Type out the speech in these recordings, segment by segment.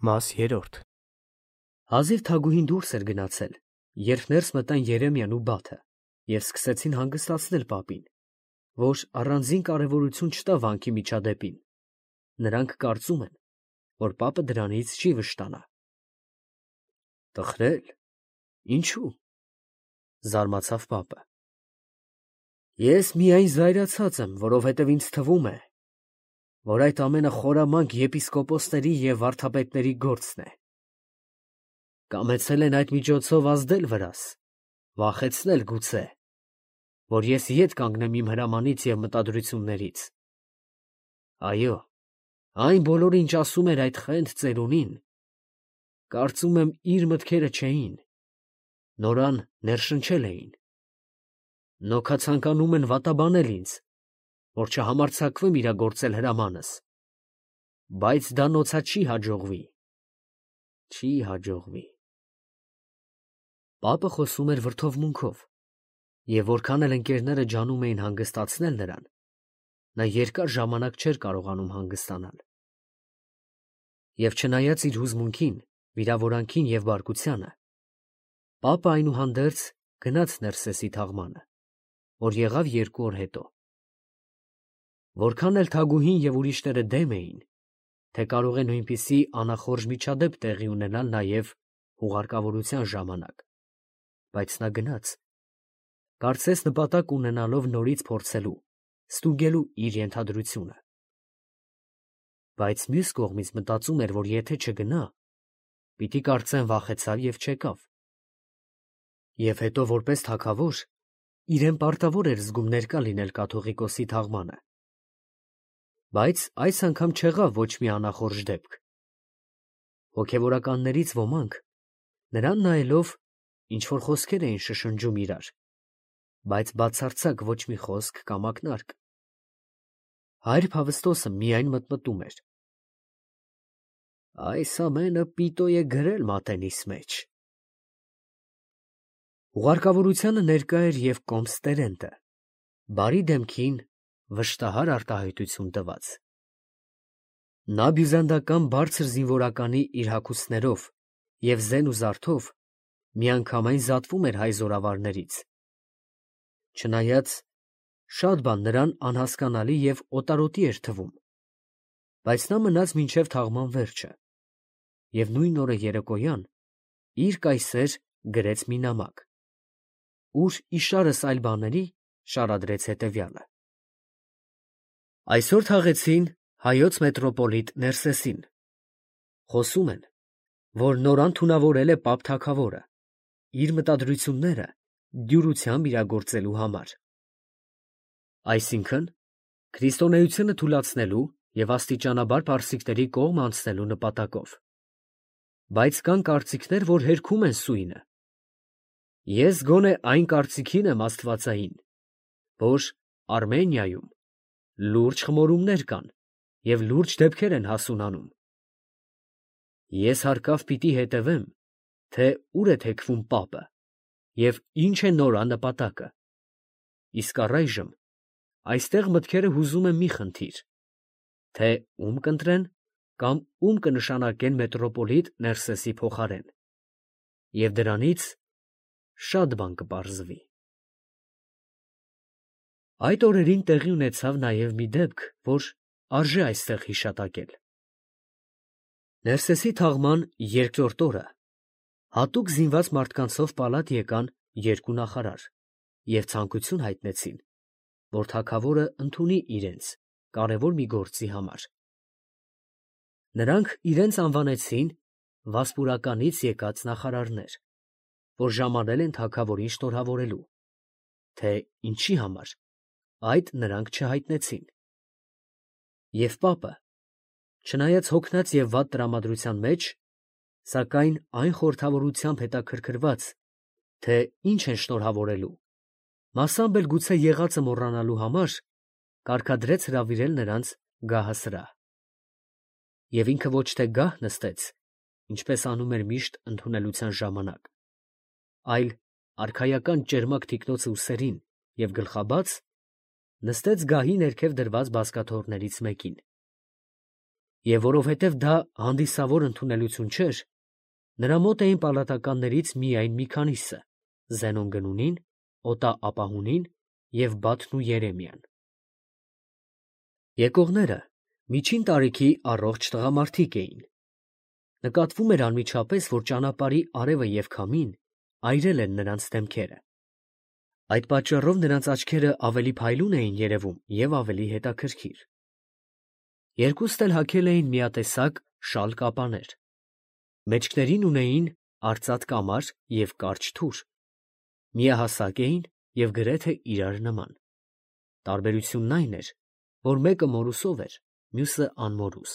Մաս 3 Հազիվ թագուհին դուրս էր գնացել, երբ ներս մտան Երեմիան ու Բաթը և սկսեցին հանգստացնել պապին, որ առանձին կարևորություն չտա վանքի միջադեպին. նրանք կարծում են, որ պապը դրանից չի վշտանա։ Տխրել, ինչու՞, զարմացավ պապը։ Ես միայն զայրացած եմ, որովհետև ինձ թվում է, որ այդ ամենը խորամանկ եպիսկոպոսների և վարդապետների գործն է։ Կամեցել են այդ միջոցով ազդել վրաս, վախեցնել գուցե, որ ես ետ կանգնեմ իմ հրամանից և մտադրություններից։ Այո, այն բոլորը, ինչ ասում էր այդ խենթ ծերունին, կարծում եմ իր մտքերը չէին, նորան ներշնչել էին։ Նոքա ցանկանում են վատաբանել ինձ, որ չհամարձակվեմ իրագործել հրամանս, բայց դա նոցա չի հաջողվի, չի հաջողվի։ Պապը խոսում էր վրդովմունքով, և որքան էլ ընկերները ջանում էին հանգստացնել նրան, նա երկար ժամանակ չէր կարողանում հանգստանալ։ Եվ չնայած իր հուզմունքին, վիրավորանքին և բարկությանը, պապը այնուհանդերձ գնաց Ներսեսի թաղմանը, որ եղավ 2 օր հետո։ Որքան էլ թագուհին և ուրիշները դեմ էին, թե կարող է նույնպիսի անախորժ միջադեպ տեղի ունենալ նաև հուղարկավորության ժամանակ, բայց նա գնաց, կարծես նպատակ ունենալով նորից փորձելու, ստուգելու իր ենթադրությունը։ Բայց մյուս կողմից մտածում էր, որ եթե չգնա, պիտի կարծեն վախեցավ և չեկավ։ Եվ հետո որպես թագավոր իրեն պարտավոր էր զգում ներկա լինել կաթողիկոսի թաղմանը։ Բայց այս անգամ չեղավ ոչ մի անախորժ դեպք։ Հոգևորականներից ոմանք, նրան նայելով, ինչ-որ խոսքեր էին շշնջում իրար, բայց բացարձակ ոչ մի խոսք կամ ակնարկ։ Հայր Փավստոսը միայն մտմտում էր. այս ամենը պիտո է գրել մատենիս մեջ։ Ուղարկավորությանը ներկա էր և կոմս Տերենտը, բարի դեմքին վշտահար արտահայտություն տված։ Նա բյուզանդական բարձր զինվորականի իր հագուստներով և զեն ու զարդով միանգամայն զատվում էր հայ զորավարներից, չնայած շատ բան նրան անհասկանալի և օտարոտի էր թվում, բայց նա մնաց մինչև թաղման վերջը և նույն օրը երեկոյան իր կայսեր գրեց մի նամակ, ուր իշարս այլ բաների շարադրեց հետևյալը. Այսօր թաղեցին հայոց մետրոպոլիտ Ներսեսին. խոսում են, որ նորան թունավորել է պապ թագավորը, իր մտադրությունները դյուրությամբ իրագործելու համար։ Այսինքն, քրիստոնեությունը թուլացնելու և աստիճանաբար պարսիկների կողմ անցնելու նպատակով։ Բայց կան կարծիքներ, որ հերքում են սույնը։ Ես գոնե այն կարծիքին եմ աստվածային, որ Արմենիայում լուրջ խմորումներ կան և լուրջ դեպքեր են հասունանում։ Ես հարկավ պիտի հետևեմ, թե ուր է թեքվում պապը և ինչ է նոր նպատակը։ Իսկ առայժմ այստեղ մտքերը հուզում եմ մի խնդիր, թե ում կընտրեն կամ ում կնշանակեն մետրոպոլիտ Ներսեսի փոխարեն, և դրանից շատ բան կպարզվի։ Այդ օրերին տեղի ունեցավ նաև մի դեպք, որ արժե այստեղ հիշատակել։ Ներսեսի թաղման 2-րդ օրը հատուկ զինված մարդկանցով պալատ եկան 2 նախարար և ցանկություն հայտնեցին, որ թագավորը ընդունի իրենց կարևոր մի գործի համար։ Նրանք իրենց անվանեցին Վասպուրականից եկած նախարարներ, որ ժամանել են թագավորին շնորհավորելու, թե ինչի համար, այդ նրանք չհայտնեցին։ Եվ պապը, չնայած հոգնած և վատ տրամադրության մեջ, սակայն այն խորհրդավորությամբ հետաքրքրված, թե ինչ են շնորհավորելու, մասամբ էլ գուցե եղածը մոռանալու համար, կարգադրեց հրավիրել նրանց գահասրահ։ Եվ ինքը ոչ թե գահ նստեց, ինչպես անում էր միշտ ընդունելության ժամանակ, այլ արքայական ճերմակ թիկնոցը ուսերին և գլխաբաց, նստեց գահի ներքև դրված բազկաթոռներից մեկին։ և որովհետև դա հանդիսավոր ընդունելություն չէր, նրա մոտ էին պալատականներից միայն մի քանիսը. Զենոն Գնունին, Օտա Ապահունին և Բաթն ու Երեմիան։ Եկողները միջին տարիքի առողջ տղամարդիկ էին։ Նկատվում էր անմիջապես, որ ճանապարհի արևը և քամին այրել են նրանց դեմքերը։ Այդ պատճառով նրանց աչքերը ավելի փայլուն էին երևում և ավելի հետաքրքիր։ Երկուստ էլ հագել էին միատեսակ շալ կապաներ։ Մեջքներին ունեին արծաթ կամար և կարճ թուր։ Միահասակ էին և գրեթե իրար նման։ Տարբերությունն այն էր, որ մեկը մորուսով էր, մյուսը անմորուս։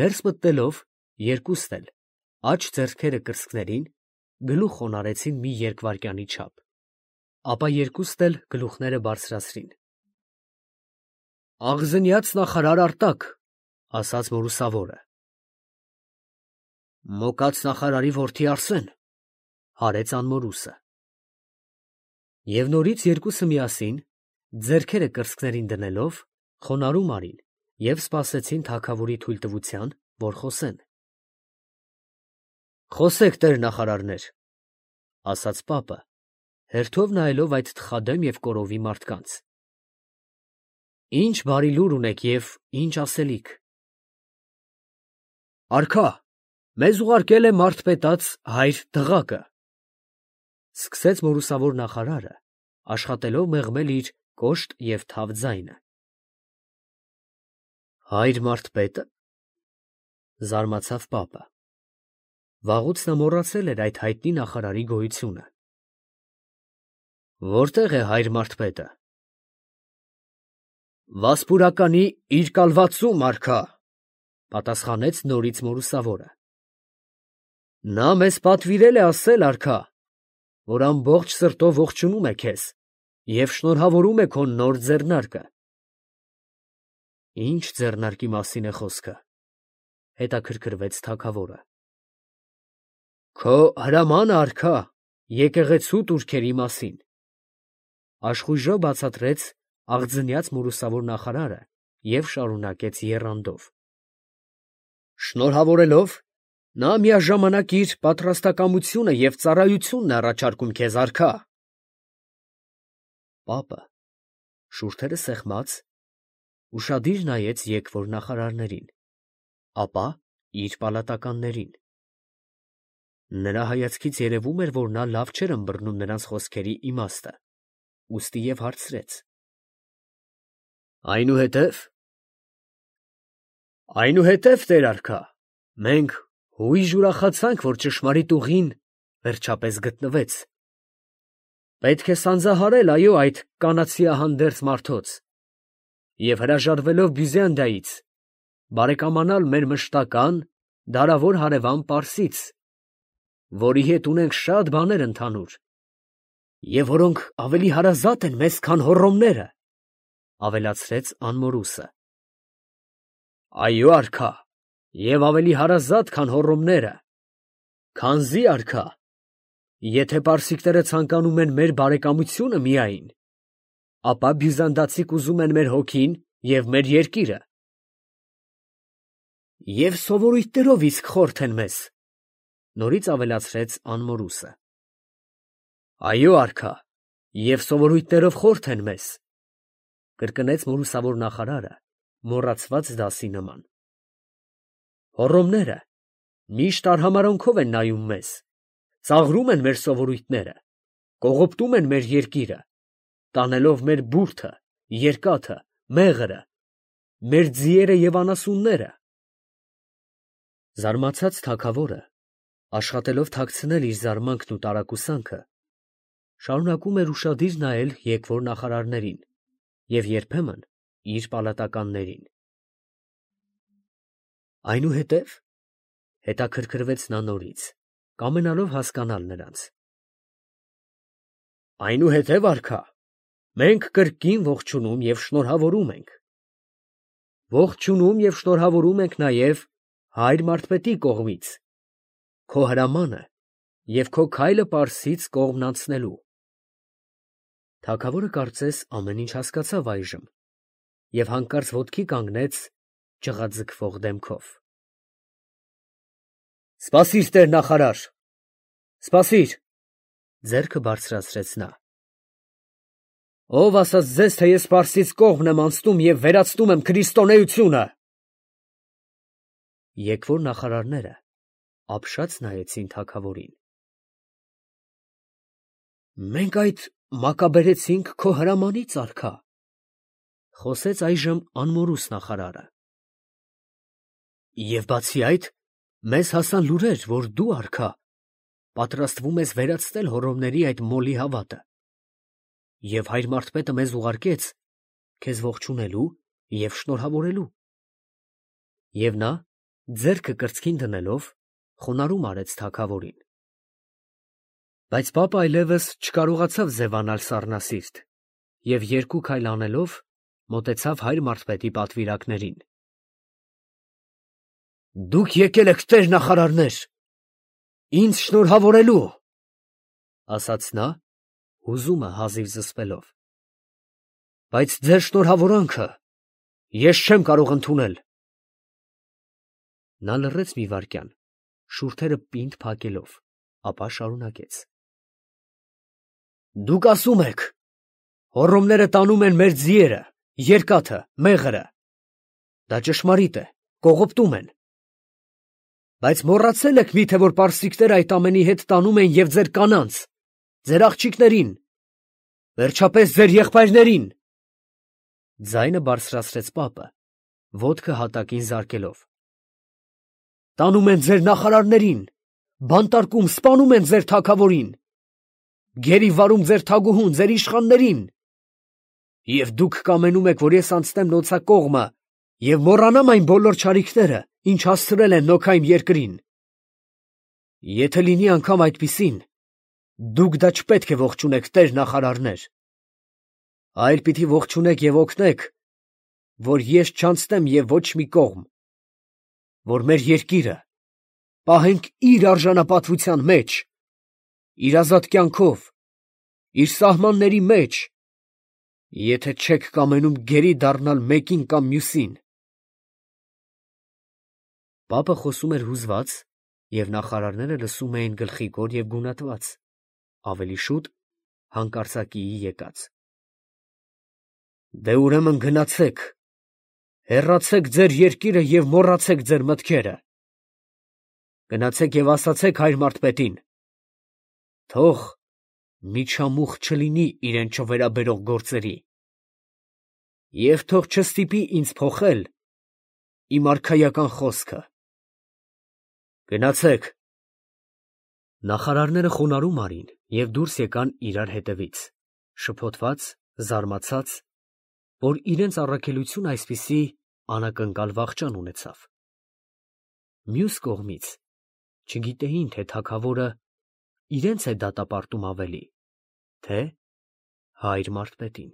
Ներս մտնելով երկուստ էլ աջ ձեռքերը կրծքներին գլուխ խոնարհեցին մի երկվայրկյանի չափ, ապա երկուստ էլ գլուխները բարձրացրին։ «Աղզնյաց նախարար Արտակ», ասաց մորուսավորը։ «Մոկած նախարարի որդի Արսեն», հարեց անմորուսը։ Եվ նորից երկուսը միասին, ձեռքերը կրծքներին դնելով, խոնարհում արին և սպասեցին թագավորի թույլտվության, որ խոսեն։ «Խոսեք, տեր նախարարներ», ասաց պապը, հերթով նայելով այդ թխադեմ և կորովի մարդկանց։ «Ինչ բարի լուր ունեք և ինչ ասելիք»։ «Արքա, մեզ ուղարկել է մարդ հայր Դղակը», սկսեց մորուսավոր նախարարը, աշխատելով մեղմել իր կոշտ և թավ ձայնը։ «Հայր մարդպետը», զարմացավ պապը։ Վաղուց նա մոռացել էր այդ հայտնի նախարարի գոյությունը։ «Որտե՞ղ է հայր մարդպետը»։ «Վասպուրականի իր կալվածում, արքա», պատասխանեց նորից մորուսավորը։ «Նա մեզ պատվիրել է ասել, արքա, որ ամբողջ սրտով ողջունում է քեզ և շնորհավորում է քո նոր ձեռնարկը»։ «Ի՞նչ ձեռնարկի մասին է խոսքը», հետաքրքրվեց թագավորը։ «Քո հրամանը, արքա, եկեղեցու տուրքերի մասին», աշխույժով բացատրեց աղձնյաց մորուսավոր նախարարը և շարունակեց եռանդով. «Շնորհավորելով, նա միաժամանակ իր պատրաստակամությունը և ծառայությունն է առաջարկում քեզ, արքա»։ Պապը, շուրթերը սեղմած, ուշադիր նայեց եկվոր նախարարներին, ապա իր պալատականներին։ Նրա հայացքից երևում էր, որ նա լավ չէր ըմբռնում նրանց խոսքերի իմաստը, ուստի և հարցրեց. «Այնուհետև, տեր արքա, մենք հույժ ուրախացանք, որ ճշմարիտ ուղին վերջապես գտնվեց։ Պետք է սանձահարել, այո, այդ կանացիահանդերձ մարդոց և հրաժարվելով Բյուզանդիայից, բարեկամանալ մեր մշտական, դարավոր հարևան Պարսից, որի հետ ունենք շատ բաներ ընդհանուր, և որոնք ավելի հարազատ են մեզ, քան Հոռոմները», ավելացրեց անմորուսը։ «Այո, արքա, և ավելի հարազատ, քան Հոռոմները, քանզի, արքա, եթե պարսիկները ցանկանում են մեր բարեկամությունը միայն, ապա բյուզանդացիք ուզում են մեր հոգին և մեր երկիրը։ Եվ սովորույթներով իսկ խորթ են մեզ», նորից ավելացրեց անմորուսը։ «Այո, արքա, և սովորույթներով խորթ են մեզ», կրկնեց մորուսավոր նախարարը մոռացված դասի նման։ «Հոռոմները միշտ արհամարհանքով են նայում մեզ, ծաղրում են մեր սովորույթները, կողոպտում են մեր երկիրը, տանելով մեր բուրդը, երկաթը, մեղրը, մեր ձիերը և անասունները»։ Զարմացած թագավորը, աշխատելով թաքցնել իր զարմանքն ու տարակուսանքը, շարունակում էր ուշադիր նայել եկվոր նախարարներին և երբեմն իր պալատականներին։ «Այնուհետև», հետաքրքրվեց նա նորից, կամենալով հասկանալ նրանց։ «Այնուհետև, արքա, մենք կրկին ողջունում և շնորհավորում ենք։ Ողջունում և շնորհավորում ենք նաև հայր մարդպետի կողմից քո հրամանը և քո քայլը Պարսից կողմն անցնելու»։ Թագավորը կարծես ամեն ինչ հասկացավ այժմ և հանկարծ ոտքի կանգնեց ճղաձգվող դեմքով։ Սպասիր, տեր նախարար, սպասիր, ձեռքը բարձրացրեց նա։ Ով ասաց ձեզ, թե ես Պարսից կողմն եմ անցնում և վերացնում եմ քրիստոնեությունը։ Եկվոր նախարարները ապշած նայեցին թագավորին։ Մենք այդ մակաբերեցինք քո հրամանից, արքա, խոսեց այժմ անմորուս նախարարը։ Եվ բացի այդ, մեզ հասան լուրեր, որ դու, արքա, պատրաստվում ես վերացնել հոռոմների այդ մոլի հավատը, և հայր մարզպետը մեզ ուղարկեց քեզ ողջունելու և շնորհավորելու։ Եվ նա, ձեռքը կրծքին դնելով, խոնարհում արեց թագավորին։ Բայց պապը այլևս չկարողացավ ձևանալ սառնասիրտ և երկու քայլ անելով մոտեցավ հայր մարզպետի պատվիրակներին։ Դուք եկել եք, տեր նախարարներ, ինձ շնորհավորելու, ասաց նա, հուզումը հազիվ զսպելով։ Բայց ձեր շնորհավորանքը ես չեմ կարող ընդունել։ Նա լռեց մի վայրկյան, շուրթերը պինդ փակելով, ապա շարունակեց. Դուք ասում եք, հոռոմները տանում են մեր ձիերը, երկաթը, մեղրը։ Դա ճշմարիտ է, կողոպտում են։ Բայց մոռացել եք միթե, որ պարսիկները այդ ամենի հետ տանում են և ձեր կանանց, ձեր աղջիկներին, վերջապես ձեր եղբայրներին։ Ձայնը բարձրացրեց պապը, ոտքը հատակին զարկելով։ Տանում են ձեր նախարարներին, բանտարկում, սպանում են ձեր թագավորին, գերի վարում ձեր թագուհուն, ձեր իշխաններին։ Եվ դուք կամենում եք, որ ես անցնեմ նոցակողմը և մոռանամ այն բոլոր չարիքները, ինչ հասցրել են Նոքայմ երկրին։ Եթե լինի անգամ այդպիսին, դուք դա չպետք է ողջունեք, տեր նախարարներ, այլ պիտի ողջունեք և օգնեք, որ ես չանցնեմ և ոչ մի կողմ, որ մեր երկիրը պահենք իր արժանապատվության մեջ, իր ազատ կյանքով, իր սահմանների մեջ, եթե չեք կամենում գերի դառնալ մեկին կամ մյուսին։ Պապը խոսում էր հուզված, և նախարարները լսում էին գլխիկոր և գունատված, ավելի շուտ հանկարծակիի եկած։ Դե ուրեմն գնացեք, հեռացեք ձեր երկիրը և մոռացեք ձեր մտքերը։ Գնացեք և ասացեք հայր մարզպետին. թող միջամուխ չլինի իրեն չվերաբերող գործերի, և թող չստիպի ինձ փոխել իմ արքայական խոսքը։ Գնացեք։ Նախարարները խոնարհում արին և դուրս եկան իրար հետևից, շփոթված, զարմացած, որ իրենց առաքելությունը այսպիսի անակնկալ վախճան ունեցավ։ Մյուս կողմից չգիտեին, թե թագավորը իրենց է դատապարտում ավելի, թե հայր մարզպետին։